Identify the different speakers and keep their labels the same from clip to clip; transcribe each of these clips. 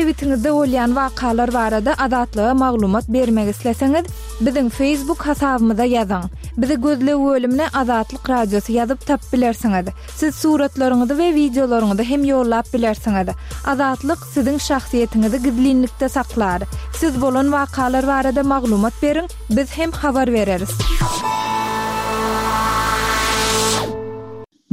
Speaker 1: Sebitiňizde bolýan wakalar barada Azatlyga maglumat bermek isleseňiz, biziň Facebook hasabymyza ýazyň. Bizi gözleg bölümine Azatlyk Radiosy ýazyp tapyp bilersiňiz. Siz suratlaryňyzy we wideolaryňyzy hem ýollap bilersiňiz. Azatlyk siziň şahsyýetiňizi gizlinlikde saklar. Siz bolan wakalar barada maglumat beriň, biz hem habar bereris.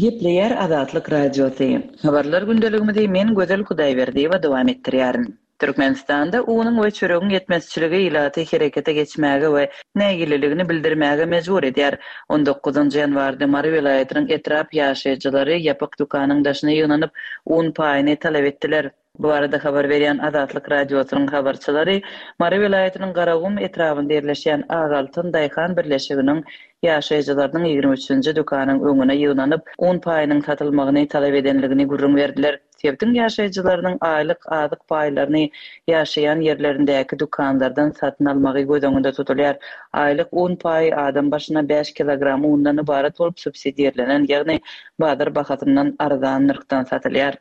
Speaker 2: Gepleýär Azatlyk Radiosy. Habarlar gündeligimizi men Gözel Hudaýberdiýewa dowam etdirýärin. Türkmenistanda unuň we çöregiň ýetmezçiligi ilaty herekete geçmäge we nägileligini bildirmäge mejbur edýär. On dokuzynjy ýanwarda Mary welaýatynyň etrap ýaşaýjylary ýapyk dükanyň daşyna ýygnanyp, un paýyny talap etdiler. Bu barada habar berýän Azatlyk Radiosynyň habarçylary Mary welaýatynyň Garagum etrabynda ýerleşýän Ak altyn daýhan birleşiginiň ýaşaýjylarynyň 23-nji dükanyň öňüne ýygnanyp, un paýynyň satylmagyny talap edenligini gürrüň berdiler. Sebitiň ýaşaýjylarynyň aýlyk azyk paýlaryny ýaşaýan ýerlerindäki dükanlardan satyn almagy göz öňünde tutulýar. Aýlyk un paýy adam başyna bäş kilogram undan ybarat bolup, subsidirlenen, ýagny bazar bahasyndan arzan nyrhdan satylýar.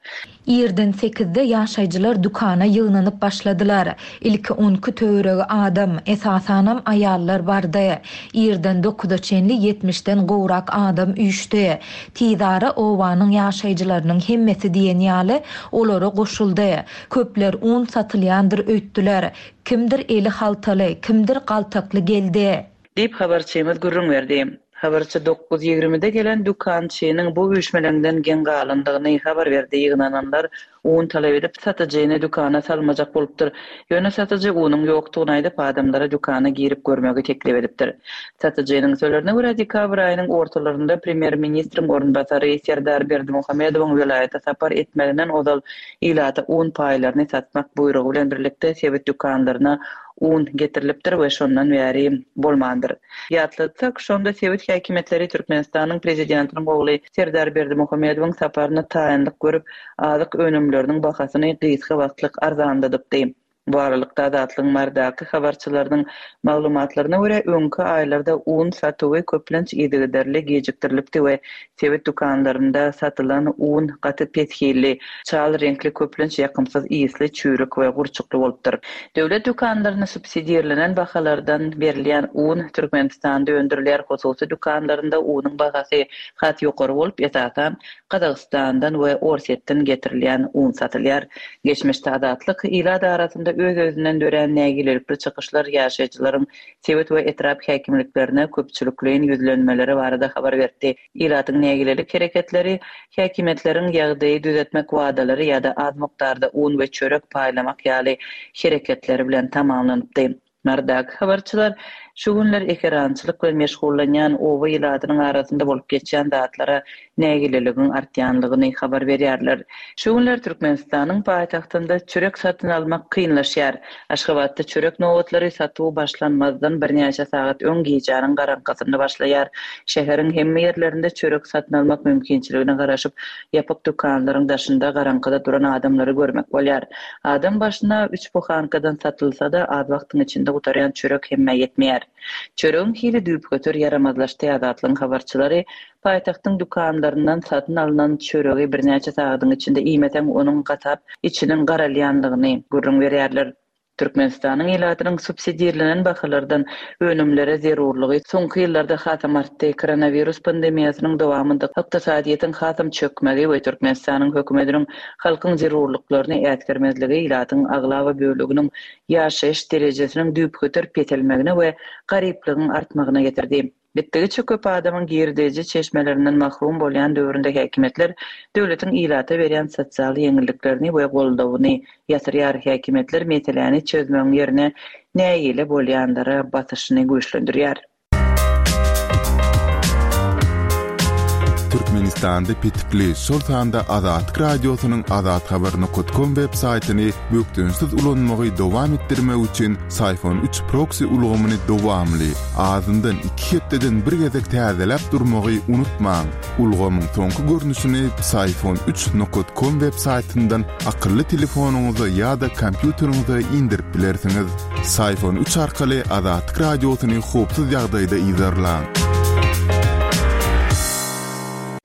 Speaker 3: Irden sekizde ýaşaýjylar dükana ýygnanyp başladylar. Ilki on iki töweregi adam, esasanam aýallar bardy. Irden dokuza çenli ýetmişden gowrak adam üýşdi. Tizara obanyň ýaşaýjylarynyň hemmesi diýen ýaly olara goşuldy. Köpler un satylýandyr öýtdüler. Kimdir eli haltaly, kimdir galtakly geldi.
Speaker 2: Diýip, habarçymyz gürrüň berdi. Habarçy dokuz ýigrimide gelen dükançynyň bu üýşmeleňden geň galandygyny habar berdi. Ýygnananlar un talap edip, satyjyny dükana salmajak bolupdyr. Ýöne satyjy unuň ýokdugyny aýdyp, adamlara dükana girip görmegi teklip edipdir. Satyjynyň sözlerine görä, dekabr aýynyň ortalarynda premýer-ministriň orunbasary Serdar Berdimuhamedowyň welaýata sapar etmeginden ozal ilata un paýlaryny satmak buýrugy bilen birlikde sebit dükanlaryna un getirilipdir we şondan bäri bolmandyr. Ýatlatsak, şonda sebit häkimiýetleri Türkmenistanyň Prezidentiniň ogly Serdar Berdimuhamedowyň saparyna taýynlyk görüp, azyk önümleriniň bahasyny gysga wagtlyk arzanladypdy. Bu aralykda, Azatlygyň Marydaky habarçylarynyň maglumatlaryna görä, öňki aýlarda un satuwy köplenç yzygiderli gijikdirilipdi we Sebit dükanlarynda satylan un gaty pes hilli, çal reňkli, köplenç ýakymsyz ysly, çüýrük we gurçukly bolupdyr. Döwlet dükanlarynda subsidirlenen bahalardan berilýän un Türkmenistanda öndürilýär, hususy dükanlarynda unuň bahasy has ýokary bolup, esasan, Gazagystandan we Orsýetden getirilýän un satylýar. Geçmişde Azatlyk ilat arasynda öz-özünden dörän nägilelikli çykyşlar ýaşaýjylaryň sebit we etrap häkimliklerine köpçülikleýin ýüzlenmeleri barada habar berdi. Ilatyň nägilelik hereketleri häkimiýetleriň ýagdaýy düzetmek wadalary ýa-da az mukdarda un we çörek paýlamak ýaly hereketleri bilen tamamlanypdy. Marydaky habarçylar şu günler ekerançylyk bilen meşgullanýan oba ilatynyň arasynda bolup geçýän zatlara nägileligiň artýanlygyny habar berýärler. Şu günler Türkmenistanyň paýtagtynda çörek satyn almak kynlaşýar. Aşgabatda çörek nobatlary satuw başlanmazdan birnäçe sagat öň gijäniň garaňkysynda başlaýar. Şäheriň hemme ýerlerinde çörek satyn almak mümkinçiligine garaşyp, ýapyk dükanlaryň daşynda garaňkyda duran adamlary görmek bolýar. Adam başyna üç buhankadan satylsa-da, az wagtyň içinde gutarýan çörek hemmä ýetmeýär. Çöregiň hili düýpgöter ýaramazlaşdy Azatlygyň habarçylary paýtagtyň dükanlaryndan satyn alnan çöregi birnäçe sagadyň içinde iýmeseň onuň gatap, içiniň garalýanlygyny gürrüň berýärler. Türkmenistanyň ilatynyň subsidirlenen bahalardan önümlere zerurlygy soňky ýyllarda hasam artdy. Koronawirus pandemiýasynyň dowamynda ykdysadyýetiň hasam çökmegi we Türkmenistanyň hökümetiniň halkyň zerurlyklaryny äsgermezligi ilatyň aglaba böleginiň ýaşaýyş derejesiniň düýpgöter peselmegine we garyplygyň artmagyna getirdi. Gitdigiçe köp adamyň girdeji çeşmelerinden mahrum bolýan döwründe häkimiýetler döwletiň ilata berýän sosial ýeňilliklerini we goldawyny ýatyrýar. Häkimiýetler meseläni çözmegiň ýerine nägile bolýanlara basyşyny güýçlendirýär.
Speaker 4: Türkmenistanda petikli, şol sanda Azatlyk Radiosynyň azathabar nokat kom web saýtyny bökdençsiz ulanmagy dowam etdirmek üçin Syphon üç proksi ulgamyny dowamly, azyndan iki hepdeden bir gezek täzeläp durmagy unutmaň. Ulgamyň soňky görnüşini Psiphon üç nokat kom web saýtyndan akylly telefonyňyza ýa-da kompýuteriňize indirip bilersiňiz. Syphon üç arkaly Azatlyk Radiosyny howpsuz ýagdaýda yzarlaň.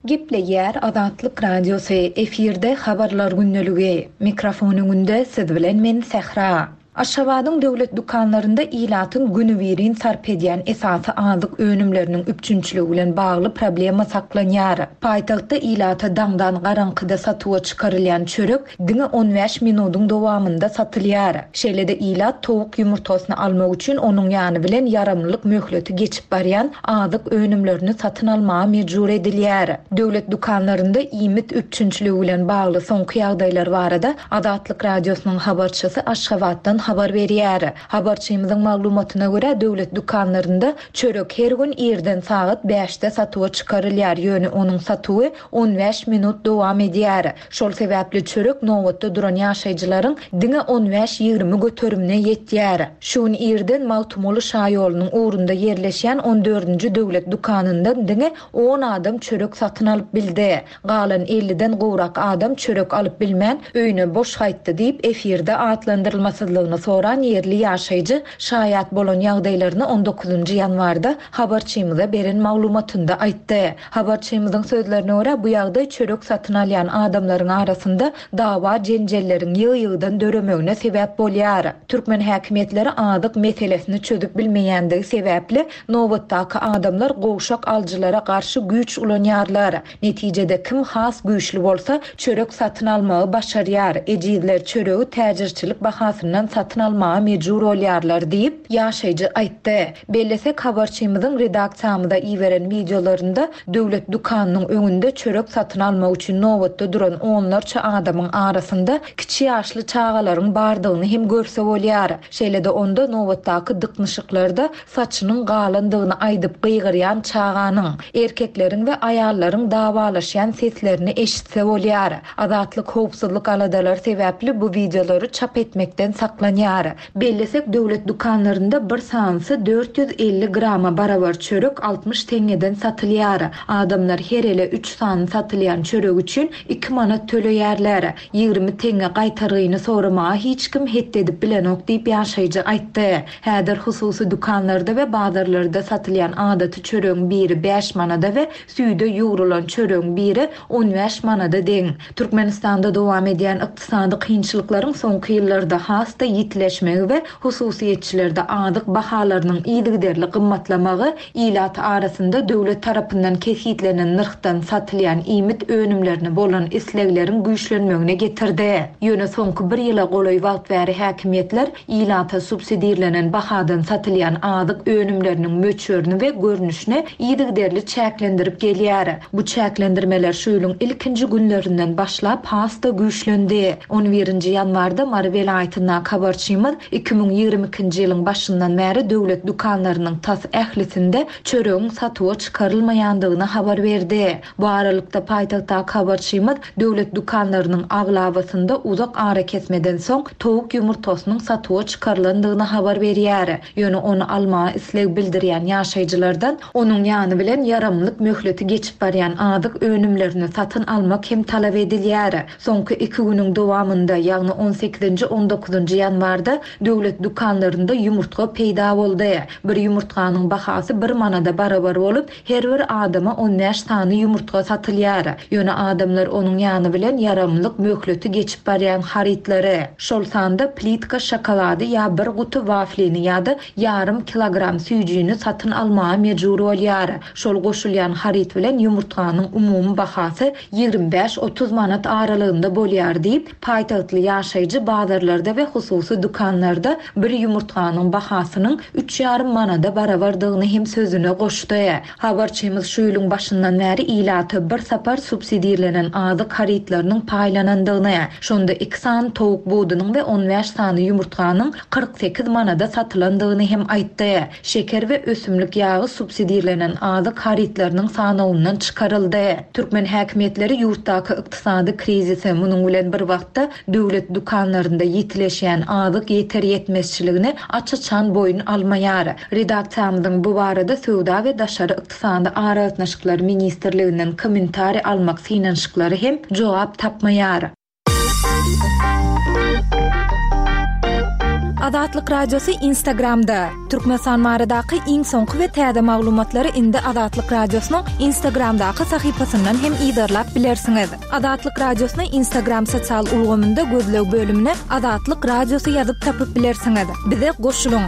Speaker 3: Gepleýär Azatlyk Radiosy, efirde Habarlar gündeligi. Mikrofon öňünde siz bilen men Sähra. Aşgabadyň döwlet dükanlarynda ilatyň günübirin sarp edýän esasy azyk önümleriniň üpjünçiligi bilen bagly problema saklanýar. Paýtagtda ilata daňdan garaňkyda satuwa çykarylýan çörek diňe on bäş minudyň dowamynda satylýar. Şeýle-de ilat towuk ýumurtgasyny almak üçin onuň ýany bilen ýaramlylyk möhleti geçip barýan azyk önümlerini satyn almaga mejbur edilýär. Döwlet dükanlarynda iýmit üpjünçiligi bilen bagly soňky ýagdaýlar barada Azatlyk Radiosynyň habarçysy Aşgabatdan habar berýär. Habarçymyzyň maglumatyna görä, döwlet dükanlarynda çörek her gün irden sagat bäşde satuwa çykarylýar, ýöne onuň satuwy on bäş minut dowam edýär. Şol sebäpli çörek nobatda duran ýaşaýjylaryň diňe on bäş-ýigrimi göterimine ýetýär. Şu gün irden Magtymguly şaýolunyň ugrunda ýerleşýän on dördünji döwlet dükanyndan diňe on adam çörek satyn alyp bildi. Galan elliden gowrak adam çörek alyp bilmän, öýüne boş gaýtdy diýip, efirde atlandyrylmasyzlygyny soran ýerli ýaşaýjy şaýat bolan ýagdaýlaryny on dokuzynjy ýanwarda habarçymyza beren maglumatynda aýtdy. Habarçymyzyň sözlerine görä, bu ýagdaý çörek satyn alýan adamlaryň arasynda dawa-jenjelleriň ýygy-ýygydan döremegine sebäp bolýar. Türkmen häkimiýetleri azyk meselesini çözüp bilmeýändigi sebäpli, nobatdaky adamlar gowşak alyjylara garşy güýç ulanýarlar. Netijede kim has güýçli bolsa, çörek satyn almagy başarýar, ejizler çöregi täjirçilik bahasyndan satyn almaga mejbur bolýarlar diýip, ýaşaýjy aýtdy. Bellesek, habarçymyzyň redaksiýamyza iberen wideolarynda döwlet dükanynyň öňünde çörek satyn almak üçin nobatda duran onlarça adamyň arasynda kiçi ýaşly çagalaryň bardygyny hem görse bolýar. Şeýle-de onda nobatdaky dyknyşyklarda saçynyň galandygyny aýdyp gygyrýan çaganyň, erkekleriň we aýallaryň dawalaşýan seslerini eşitse bolýar. Azatlyk howpsuzlyk aladalary sebäpli bu wideolary çap etmekden saklanýar. Bellesek, döwlet dükanlarynda bir sanysy 450 grama barabar çörek 60 teňňeden satylýar. Adamlar her ele üç sany satylýan çörek üçin iki manat töleýärler. 20 teňňe gaýtargyny soramaga hiç kim hetdi edip bilenok diýip ýaşaýjy aýtdy. Häzir hususy dükanlarda we bazarlarda satylýan adaty çöregiň biri bäş manada we süýde ýugrulan çöregiň biri on bäş manada deň. Türkmenistanda dowam edýän ykdysady kynçylyklaryň soňky ýyllarda has-da ýitileşmegi we hususyýetçilerde azyk bahalarynyň yzygiderli gymmatlamagy ilat arasynda döwlet tarapyndan kesgitlenen nyrhdan satylýan iýmit önümlerine bolan islegleriň güýçlenmegine getirdi. Ýöne soňky bir ýyla golaý wagt bäri häkimiýetler Ilata subsidirlenen bahadan satylýan azyk önümleriniň möçberini we görnüşini yzygiderli çäklendirip gelýär. Bu çäklendirmeler şu ýylyň ilkinji günlerinden başlap has-da güýçlendi. On birinji ýanwarda Mary welaýatyndaky habarçymyz 2022-nji ýylyň başyndan bäri döwlet dükanlarynyň tas ählisinde çöregiň satuwa çykarylmaýandygyny habar berdi. Bu aralykda, paýtagtdaky habarçymyz döwlet dükanlarynyň aglabasynda uzak arakesmeden soň towuk ýumurtgasynyň satuwa çykarylandygyny habar berýär. Ýöne ony almaga isleg bildirýän ýaşaýjylardan onuň ýany bilen ýaramlyk möhleti geçip barýan azyk önümlerini satyn almak hem talap edilýär. Soňky iki günüň dowamynda, ýagny on sekizinji, on dokuzynjy ýanwarda döwlet dükanlarynda ýumurtga peýda boldy. Bir ýumurtganyň bahasy bir manada barabar bolup, Her bir adama on bäş sany ýumurtga satylýar. Ýöne adamlar onuň ýany bilen ýaramlyk möhleti geçip barýan harytlary, şol sanda plitka şokolady ýa bir guty waflini ýa-da ýarym kilogram süýjini satyn almaga mejbur bolýar. Şol goşulýan haryt bilen ýumurtganyň umumy bahasy 25-30 manat aralygynda bolýar diýip, Paýtagtly ýaşaýjy bazarlarda we hususy dükanlarda bir ýumurtganyň bahasynyň üç ýarym manada barabardygyny hem sözüne goşdy. Habarçymyz şu ýylyň başyndan bäri ilata bir sapar subsidirlenen azyk harytlarynyň paýlanandygyny, şonda iki sany towuk budunyň we on bäş sany ýumurtganyň 48 manada satylandygyny hem aýtdy. Şeker we ösümlik ýagy subsidirlenen azyk harytlarynyň sanawyndan çykaryldy. Türkmen häkimiýetleri ýurtdaky ykdysady krizise, munuň bilen bir wagtda döwlet dükanlarynda ýitileşýän azyk ýeter-ýetmezçiligini aç-açan boýun almaýar. Redaksiýamyzyň bu barada Söwda we daşary ykdysady aragatnaşyklar ministrliginden kommentariý almak synanyşyklary hem jogap tapmaýar.
Speaker 1: Azatlyk Radiosy Instagramda! Türkmenistan baradaky iň soňky we täze maglumatlary indi Azatlyk Radiosynyň Instagramdaky sahypasyndan hem yzarlap bilersiňiz. Azatlyk Radiosyny Instagram sosial ulgamynda gözleg bölümine Azatlyk Radiosy ýazyp tapyp bilersiňiz. Bize goşulyň!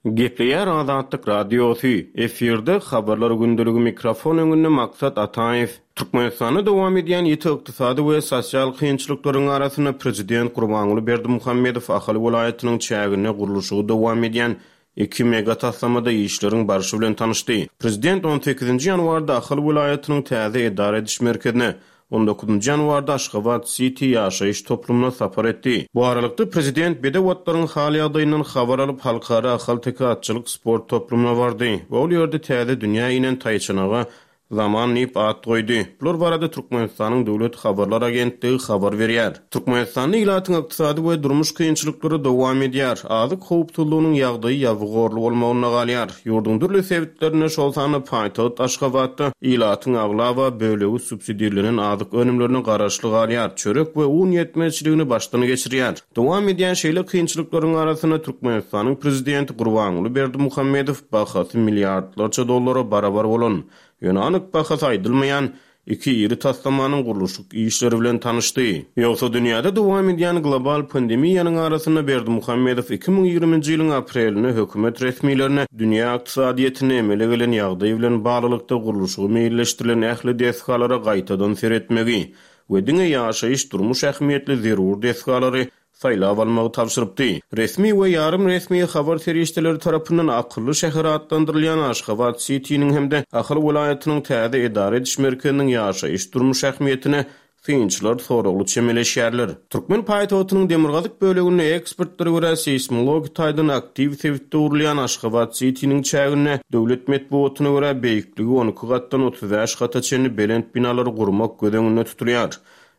Speaker 5: Gepleýär Azatlyk Radiosy, efirde Habarlar gündeligi mikrofon öňünde Maksat Ataýew. Türkmenistanda dowam edýän ýiti ykdysady we sosial kynçylyklaryň arasynda prezident Gurbanguly Berdimuhamedow Ahal welaýatynyň çäginde gurluşygy dowam edýän iki mega taslamada işleriň barşy bilen tanyşdy. Prezident on sekizinji ýanwarda Ahal welaýatynyň täze edara ediş merkezine, On dokuzynjy ýanwarda Aşgabat Siti ýaşaýyş toplumyna sapar etdi. Bu aralykda, prezident bedew atlaryň hal-ýagdaýyndan habar alyp, Halkara ahalteke atçylyk sport toplumyna bardy we ol ýerde täze dünýä inen taýçanaga Zaman diýip at goýdy. Bular barada Türkmenistanyň Döwlet habarlar agentligi habar berýär. Türkmenistanda ilatyň ykdysady we durmuş kynçylyklary dowam edýär, azyk howpsuzlygynyň ýagdaýy ýabygorly bolmagynda galýar. Ýurduň dürli sebitlerinde, şol sanda paýtagt Aşgabatda ilatyň aglaba bölegi subsidirlenen azyk önümlerine garaşly galýar, çörek we un ýetmezçiligini başdan geçirýär. Dowam edýän şeýle kynçylyklaryň arasynda Türkmenistanyň prezidenti Gurbanguly Berdimuhamedow bahasy milliardlarça dollara barabar bolan, ýöne anyk bahasy aýdylmaýan Iki iri taslamanyň gurluşyk işleri bilen tanyşdy. Ýogsa dünýäde dowam edýän global pandemiýanyň arasynda Berdimuhamedow 2020-nji ýylyň aprelinde hökümet resmilerine dünýä ykdysadyýetinde emele gelen ýagdaý bilen baglylykda gurluşygy meýilleşdirilen ähli desgalara gaýtadan seretmegi we diňe ýaşaýyş-durmuş ähmiýetli zerur desgalary saýlap almagy tabşyrypdy. Resmi we ýarym resmi habar serişdeleri tarapyndan akylly şäher atlandyrylýan Aşgabat Sitiniň hem-de Ahal welaýatynyň täze edara ediş merkeziniň ýaşaýyş-durmuş ähmiýetine synçylar soragly çemeleşýärler. Türkmen paýtagtynyň demirgazyk böleginde ekspertlere görä seýsmologik taýdan aktiw sebitde gurulýan Aşgabat Sitiniň çäginde döwlet metbugatyna görä beýikligi 12 gatdan 35 gata çenli belent binalary gurmak göz öňünde tutulýar.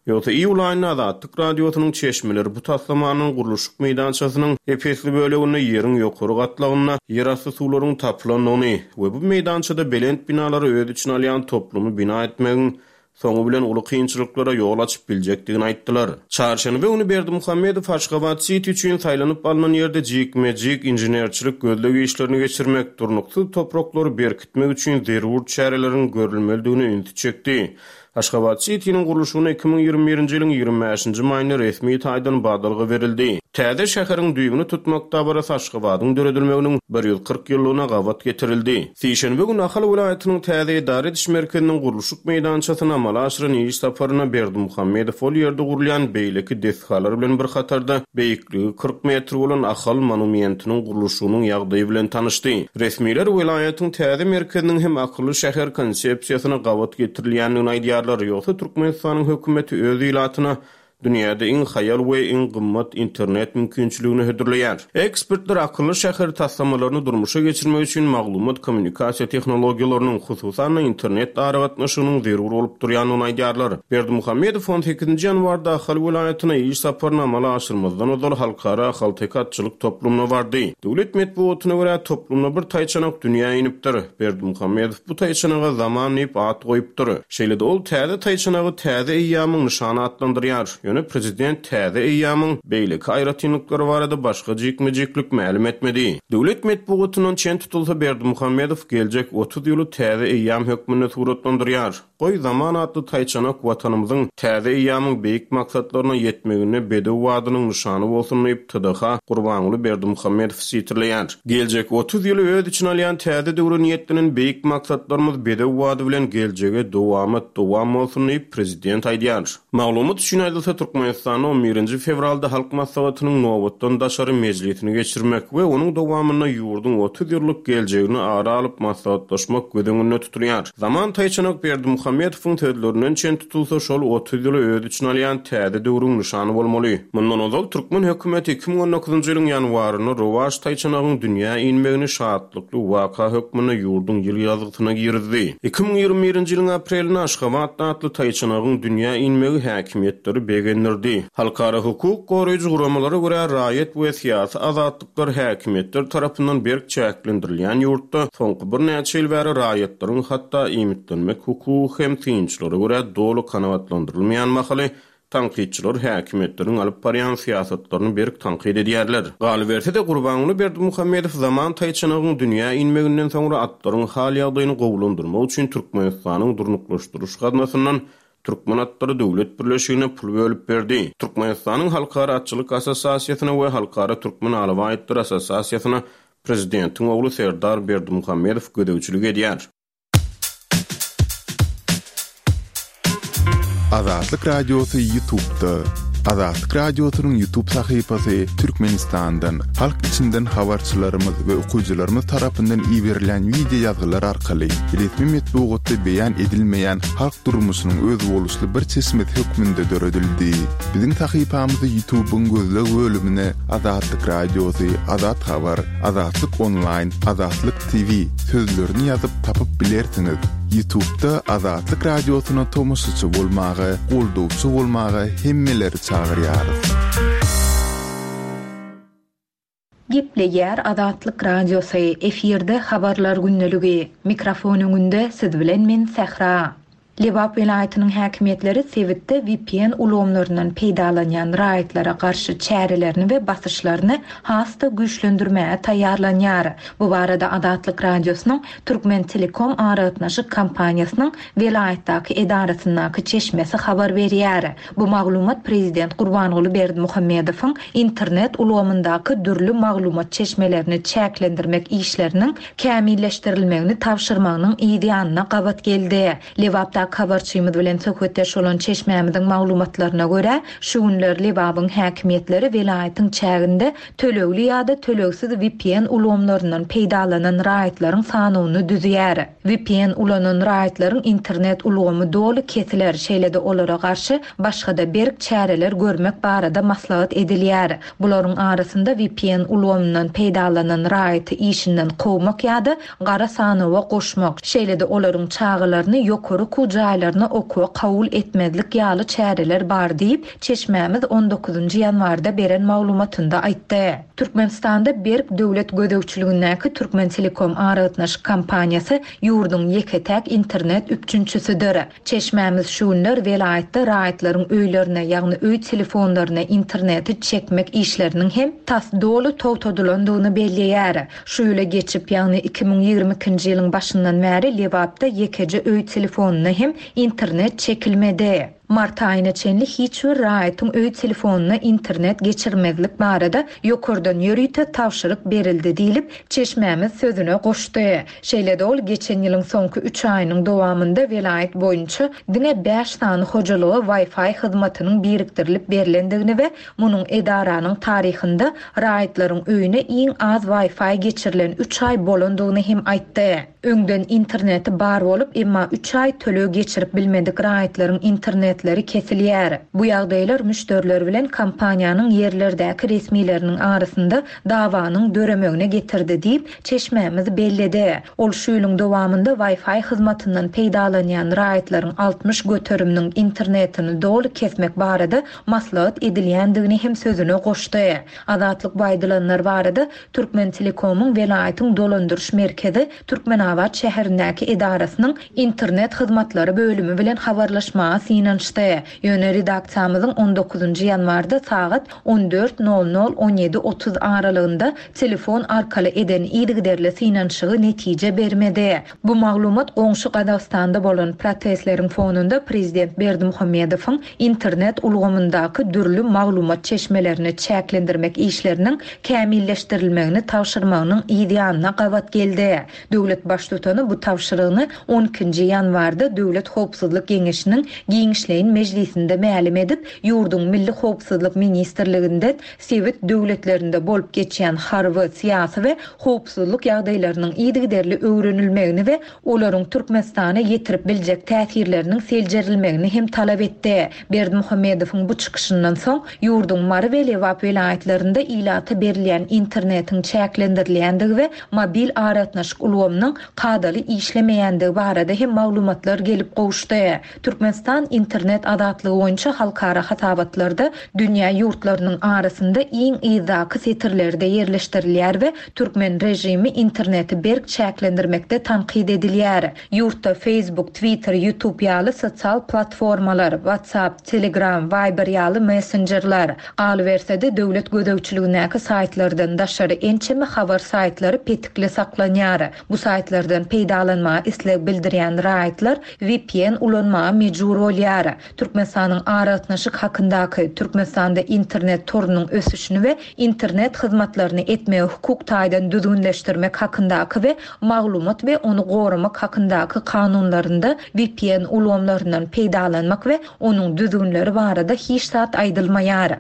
Speaker 5: Ýogsa iýul aýynda Azatlyk Radiosynyň çeşmeleri bu taslamanyň gurluşyk meýdançasynyň ep-esli böleginde ýeriň ýokary gatlagynda ýerasty suwlaryň tapylandygyny we bu meýdançada belent binalary öz içine alýan toplumy bina etmegiň soňy bilen uly kynçylyklara ýol açyp biljekdigini aýtdylar. Çarşenbe güni Berdimuhamedow Aşgabat-siti üçin saýlanyp alnan ýerde jikme-jik inženerçilik gözleg işlerini geçirmek, durnuksyz topraklary berkitmek üçin zerur çäreleriň görülmelidigine ünsi çekdi. Aşgabat Sitiniň gurluşygyna 2021-nji ýylyň 25-nji maýynda resmi taýdan badalga berildi. Täze şäheriň düýbüni tutmak dabarasy Aşgabadyň döredilmeginiň 140 ýyllygyna gabat getirildi. Sişenbe güni Ahal welaýatynyň täze edara ediş merkeziniň gurluşyk meýdançasyna amala aşyran iş saparynda Berdimuhamedow ol ýerde gurulýan beýleki desgalar bilen bir hatarda beýikligi 40 metr bolan Ahal monumentiniň gurluşygynyň ýagdaýy bilen tanyşdy. Resmiler welaýatyň täze merkeziniň hem akylly şäher konsepsiýasyna gabat getirilýändigini aýdýarlar, ýogsa Türkmenistanyň hökümeti öz ilatyna dünýäde iň haýal we iň gymmat internet mümkinçiligini hödürleýär. Ekspertler akylly şäher taslamalaryny durmuşa geçirmek üçin maglumat-kommunikasiýa tehnologiýalarynyň, hususan-da, internet aragatnaşygynyň zerur bolup durýandygyny aýdýarlar. Berdimuhamedow on sekizinji ýanwarda Ahal welaýatyna iş saparyny amala aşyrmazdan ozal Halkara ahalteke atçylyk toplumyna bardy. Döwlet metbugatyna görä, toplumda bir taýçanak dünýä inipdir. Berdimuhamedow bu taýçanaga Zaman diýip at goýupdyr. Şeýle-de ol täze taýçanagy täze eýýamyň nyşany atlandyrýar. Ýöne prezident täze eýýamyň beýleki aýratynlyklary barada başga jikme-jiklik mälim etmedi. Döwlet metbugatyndan çen tutulsa, Berdimuhamedow geljek 30 ýyly täze eýýam hökmünde suratlandyrýar. Goý, Zaman atly taýçanak Watanymyzyň täze eýýamyň beýik maksatlaryna ýetmeginde bedew badynyň nyşany bolsun diýip, TDH Gurbanguly Berdimuhamedowy sitirleýär. Geljek 30 ýyly öz içine alýan täze döwre niýetlenen beýik maksatlarymyz bedew bady bilen geljege dowamat dowam bolsun diýip, prezident aýdýar. Maglumat üçin aýdylsa, Türkmenistanda on birinji fewralda Halk Maslahatynyň nobatdan daşary mejlisini geçirmek we onuň dowamynda ýurduň 30 ýyllyk geljegini ara alyp maslahatlaşmak göz öňünde tutulýar. Zaman taýçanak Berdimuhamedowyň sözlerinden çen tutulsa, şol 30 ýyly öz içine alýan täze döwrüň nyşany bolmaly. Mundan ozal türkmen hökümeti 2019-njy ýylyň ýanwarynda rowaç taýçanagyň dünýä inmegini şatlykly waka hökmünde ýurduň ýyl ýazgysyna girizdi. 2021-nji ýylyň aprelinde Aşgabat atly taýçanagyň dünýä inmegi häkimiýetleri begendirdi. begendirdi. Halkara hukuk goraýjy guramalara görä, raýat we syýasy azatlyklar häkimiýetler tarapyndan berk çäklendirilýän ýurtda soňky birnäçe ýyl bäri raýatlaryň hatda iýmitlenmek hukugy hem synçylara görä doly kanagatlandyrylmaýan mahaly Tankytçylar häkimiýetleriň alyp barýan syýasatlaryny berk tankyt edýärler. Galyberse-de, Gurbanguly Berdimuhamedow Zaman taýçanagyň dünýä inmeginden soňra atlaryň hal-ýagdaýyny gowulandyrmak üçin Türkmenistanyň Durnuklaşdyryş gaznasyndan Türkmen atlary döwlet birleşigine pul bölüp berdi. Türkmenistanyň Halkara atçylyk assosiasiýasyna we Halkara türkmen alabaý atlary assosiasiýasyna prezidentiň ogly Serdar Berdimuhamedow gözegçilik edýär.
Speaker 4: Azatlyk Radiosy Ýutubda. Azatlyk Radiosynyň Ýutub sahypasy Türkmenistandan, halk içinden habarçylarymyz we okyjylarymyz tarapyndan iberilýän wideo ýazgylar arkaly resmi metbugatda beýan edilmeýän halk durmuşynyň özboluşly bir çeşmesi hökmünde döredildi. Biziň sahypamyzy Ýutubyň gözleg bölümine Azatlyk Radiosy, Azat Habar, Azatlyk Onlaýn, Azatlyk TV sözlerini ýazyp tapyp bilersiňiz. Ýutubda Azatlyk Radiosyna tomaşaçy bolmaga, goldawçy bolmaga hemmeleri çagyrýarys.
Speaker 3: Gepleýär Azatlyk Radiosy, efirde Habarlar gündeligi. Mikrofon öňünde siz bilen men Sähra. Lebap welaýatynyň häkimiýetleri sebitde vpn ulgamlaryndan peýdalanýan raýatlara garşy çärelerini we basyşlaryny has-da güýçlendirmäge taýýarlanýar. Bu barada Azatlyk Radiosynyň Türkmentelekom aragatnaşyk kompaniýasynyň welaýatdaky edarasyndaky çeşmesi habar berýär. Bu maglumat prezident Gurbanguly Berdimuhamedowyň internet ulgamyndaky dürli maglumat çeşmelerini çäklendirmek işleriniň kämilleşdirilmegini tabşyrmagynyň yz ýanyna gabat geldi. Lebapdaky habarçymyz bilen söhbetdeş bolan çeşmämiziň maglumatlaryna görä, şu günler Lebabyň häkimiýetleri welaýatyň çäginde tölegli ýa-da tölegsiz vpn ulgamlaryndan peýdalanan raýatlaryň sanawyny düzýär. Vpn ulanan raýatlaryň internet ulgamy doly kesiler, şeýle-de olara garşy başga-da berk çäreler görmek barada maslahat edilýär. Bularyň arasynda vpn ulgamyndan peýdalanan raýaty işinden kowmak ýa-da gara sanawa goşmak, şeýle-de olaryň çagalaryny ýokary okuw jaýlaryna okuwa kabul etmezlik ýaly çäreler bar diýip, çeşmämiz on dokuzynjy ýanwarda beren maglumatynda aýtdy. Türkmenistanda berk döwlet gözegçiligindäki Türkmentelekom aragatnaşyk kompaniýasy ýurduň ýeke-täk internet üpjünçisidir. Çeşmämiz şu günler welaýatda raýatlaryň öýlerine, ýagny öý telefonlaryna interneti çekmek işleriniň hem tas doly togtadylandygyny belleýär. Şu ýyla geçip, ýagny 2022-nji ýylyň başyndan bäri Lebapda ýekeje öý telefonyna hem internet çekilmedi. Mart aýyna çenli hiç bir raýatyň öý telefonyna internet geçirmezlik barada ýokardan ýörite tabşyryk berildi diýlip, çeşmämiz sözüne goşdy. Şeýle-de ol geçen ýylyň soňky üç aýynyň dowamynda welaýat boýunça diňe bäş sany hojalyga Wi-Fi hyzmatynyň birikdirilip berlendigini we munuň edaranyň taryhynda raýatlaryň öýüne iň az Wi-Fi geçirilen üç aý bolandygyny hem aýtdy. Öňden interneti bar bolup, emma üç aý töleg geçirip bilmedik raýatlaryň internetleri kesilýär. Bu ýagdaýlar müşderiler bilen kompaniýanyň ýerlerdäki resmileriniň arasynda dawanyň döremegine getirdi diýip, çeşmämiz belledi. Ol şu ýylyň dowamynda Wi-Fi hyzmatyndan peýdalanýan raýatlaryň 60 göteriminiň internetini doly kesmek barada maslahat edilýändigini hem sözüne goşdy. Azatlyk bu aýdylanlar barada Türkmentelekomyň welaýatyň dolandyryş merkezi Türkmenabat şäherindäki edarasynyň internet hyzmatlary bölümi bilen habarlaşmaga synanyşdy. Ýöne redaksiýamyzyň on dokuzynjy ýanwarda sagat on dört nol nol, on ýedi 30 aralygynda telefon arkaly eden yzygiderli synanyşygy netije bermedi. Bu maglumat goňşy Gazagystanda bolan protestleriň fonunda prezident Berdimuhamedowyň internet ulgamyndaky dürli maglumat çeşmelerini çäklendirmek işleriniň kämilleşdirilmegini tabşyrmagynyň yz ýanyna gabat geldi. Döwlet baştutany bu tabşyrygyny on ikinji ýanwarda Döwlet howpsuzlyk geňeşiniň giňişleýin mejlisinde mälim edip, ýurduň Milli howpsuzlyk ministrliginden sebit döwletlerinde bolup geçýän harby, syýasy we howpsuzlyk ýagdaýlarynyň yzygiderli öwrenilmegini we olaryň Türkmenistana ýetirip biljek täsirleriniň seljerilmegini hem talap etdi. Berdimuhamedowyň bu çykyşyndan soň, ýurduň Mary we Lebap welaýatlarynda ilata berilýän internetiň çäklendirilýändigi we mobil aragatnaşyk ulgamynyň kadaly işlemeýändigi barada hem maglumatlar gelip gowuşdy. Türkmenistan internet. Internet azatlygy boýunça halkara hasabatlarda dünýä ýurtlarynyň arasynda iň yzdaky setirlerde ýerleşdirilýär we türkmen režimi interneti berk çäklendirmekde tankyt edilýär. Ýurtda Facebook, Twitter, YouTube ýaly sosial platformalar, WhatsApp, Telegram, Viber ýaly messenjerler, galyberse-de döwlet gözegçiligindäki saýtlardan daşary ençeme habar saýtlary petikli saklanýar. Bu saýtlardan peýdalanmaga isleg bildirýän raýatlar vpn ulanmaga mejbur bolýar. Türkmenistanyň Aragatnaşyk hakyndaky, Türkmenistanda internet torunyň ösüşini we internet hyzmatlaryny etmegi hukuk taýdan düzgünleşdirmek hakyndaky we Maglumat we ony goramak hakyndaky kanunlarynda vpn ulgamlaryndan peýdalanmak we onuň düzgünleri barada hiç zat aýdylmaýar.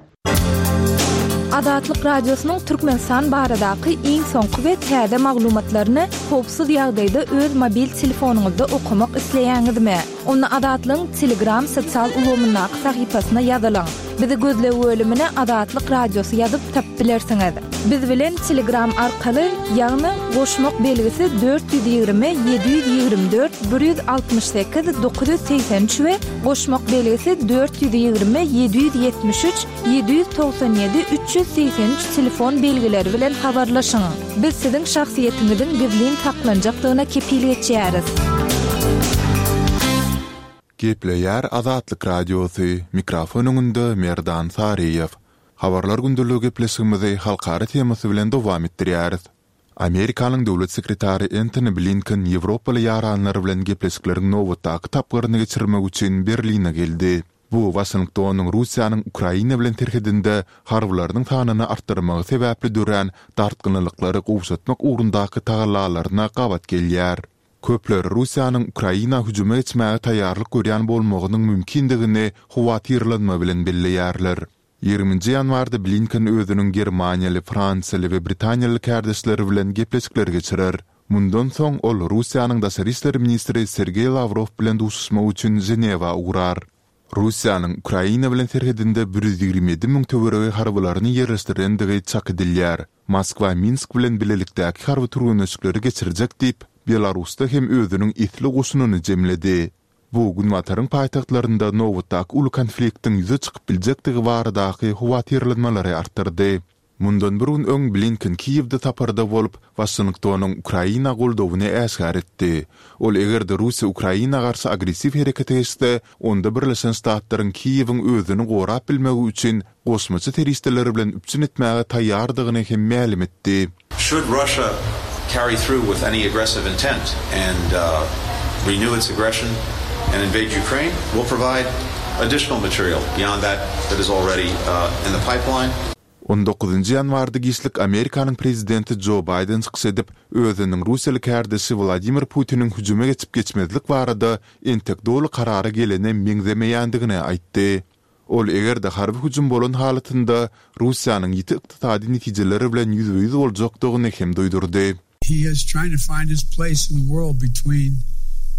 Speaker 1: Azatlyk Radiosynyň Türkmenistan baradaky iň soňky we täze maglumatlaryny howpsuz ýagdaýda öz mobil telefonyňyzda okamak isleýäňizmi? Onda Azatlygyň Telegram sosial ulgamyndaky sahypasyna ýazylyň. Bizi gözleg bölümine Azatlyk Radiosy ýazyp tapyp bilersiňiz. Biz bilen Telegram arkaly, ýagny goşmak belgisi 420 724 168 983 we goşmak belgisi 420 773 797 383 telefon belgileri bilen habarlaşyň. Biz siziň şahsyýetiňiziň gizlin saklanjakdygyna kepil geçýäris.
Speaker 4: Gepleýär Azatlyk Radiosy, mikrofon öňünde Merdan Saryýew. Habarlar gündeligi gepleşigimizi halkara temasy bilen dowam etdirýäris. Amerikanyň döwlet sekretary Entoni Blinken ýewropaly ýaranlary bilen gepleşikleriň nobatdaky tapgyryny geçirmek üçin Berline geldi. Bu Waşingtonyň Russiýanyň Ukraina bilen serhedinde harbylarynyň sanyny artdyrmagy sebäpli dörän dartgynlylyklary gowşatmak ugrundaky tagallalaryna gabat gelýär. Köpler Russiýanyň Ukraina hüjüme geçmäge taýýarlyk görýän bolmagynyň mümkindigini howatyrlanma bilen belleýärler. Ýigriminji ýanwarda Blinken özüniň germaniýaly, fransiýaly we britaniýaly kärdeşleri bilen gepleşikler geçirer. Mundan soň ol Russiýanyň daşary işler ministri Sergeý Lawrow bilen duşuşmak üçin Ženewa ugrar. Russiýanyň Ukraina bilen serhedinde 127 müň töweregi harbylaryny ýerleşdirendigi çak edilýär. Moskwa Minsk bilen bilelikdäki harby türgenleşikleri geçirjek diýip, Belarusda hem özüniň esli goşunyny jemledi. Bu Günbataryň paýtagtlarynda nobatdaky uly konfliktiň ýüze çykyp biljekdigi baradaky howatyrlanmalary artdyrdy. Mundan bir gün öň Blinken Kiýewde saparda bolup, Waşingtonyň Ukraina goldawyny äşgär etdi. Ol eger-de Russiýa Ukraina garşy agressiw herekete geçse, onda Birleşen Ştatlaryň Kiýewiň özüni gorap bilmegi üçin goşmaça serişdeler bilen üpjün etmäge taýýardygyny hem mälim etdi.
Speaker 6: Should Russia carry through with any aggressive intent and renew its aggression and invade Ukraine, we'll provide additional material beyond that that is already in the pipeline.
Speaker 4: On dokuzynjy ýanwarda giçlik Amerikanyň prezidenti Jo Baýden çykyş edip, özüniň russiýaly kärdeşi Wladimir Putiniň hüjüme geçip-geçmezlik barada entek doly karara gelene meňzemeýändigini aýtdy. Ol eger-de harby hüjüm bolan halatynda Russiýanyň ýiti ykdysady netijeleri bilen ýüzbe-ýüz boljakdygyny hem duýdurdy.
Speaker 7: He has trying to find his place in the world between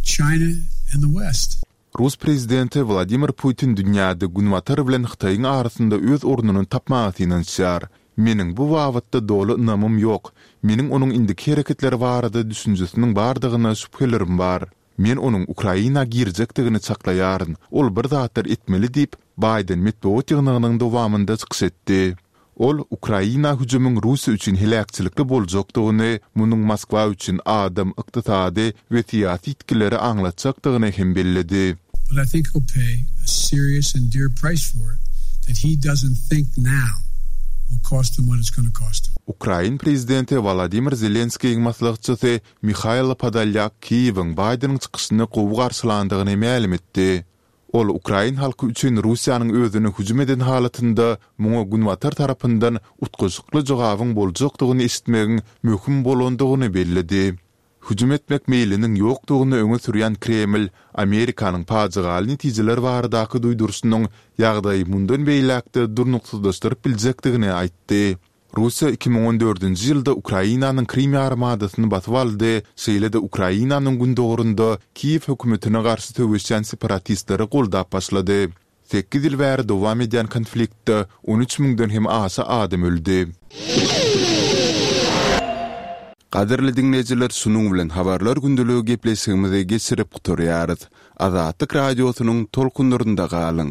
Speaker 7: China and the West.
Speaker 4: Rus prezidenti Wladimir Putin dünýäde Günbatar bilen Hytaýyň arasynda öz ornuny tapmaga synanyşýar. Meniň bu babatda doly ynamym ýok. Meniň onuň indiki hereketleri barada düşünjesiniň bardygyna şübhelerim bar. Men onuň Ukraina girjekdigini çaklaýaryn, ol bir zatlar etmeli diýip, Baýden metbugat ýygnagynyň dowamynda çykyş etdi. Ol Ukraina hüjümiň Russiýa üçin heläkçilikli boljakdygyny, munuň Moskwa üçin adam, ykdysady we syýasy ýitgileri aňlatjakdygyny hem belledi.
Speaker 7: But I think he'll pay a serious and dear price for it that he doesn't think now will cost him what it's gonna cost him.
Speaker 4: Ukrain prezidenti Wolodymyr Zelenskiýiň maslahatçysy Mihailo Podolýak Kiýewiň Baýdeniň çykyşyny gowy garşylandygyny mälim etdi. Ol ukrain halky üçin Russiýanyň özüne hüjüm eden halatynda muňa Günbatar tarapyndan utgaşykly jogabyň boljakdygyny eşitmegiň möhüm bolandygyny belledi. Hüjüm etmek meýliniň ýokdugyny öňe sürýän Kreml Amerikanyň pajygaly netijeler baradaky duýduryşynyň ýagdaýy mundan beýläk-de durnuksyzlaşdyryp biljekdigini aýtdy. Russiýa 2014-nji ýylda Ukrainanyň Krym ýarymadasyny basyp aldy, şeýle-de Ukrainanyň gündogarynda Kiýew hökümetine garşy söweşýän separatistleri goldap başlady. Sekiz ýyl bäri dowam edýän konfliktde 13 müňden hem aşa adam öldi. Gadyrly diňleýjiler şunuň bilen Habarlar gündeligi gepleşigimizi geçirip gutarýarys. Azatlyk Radiosynyň tolkunlarynda galyň!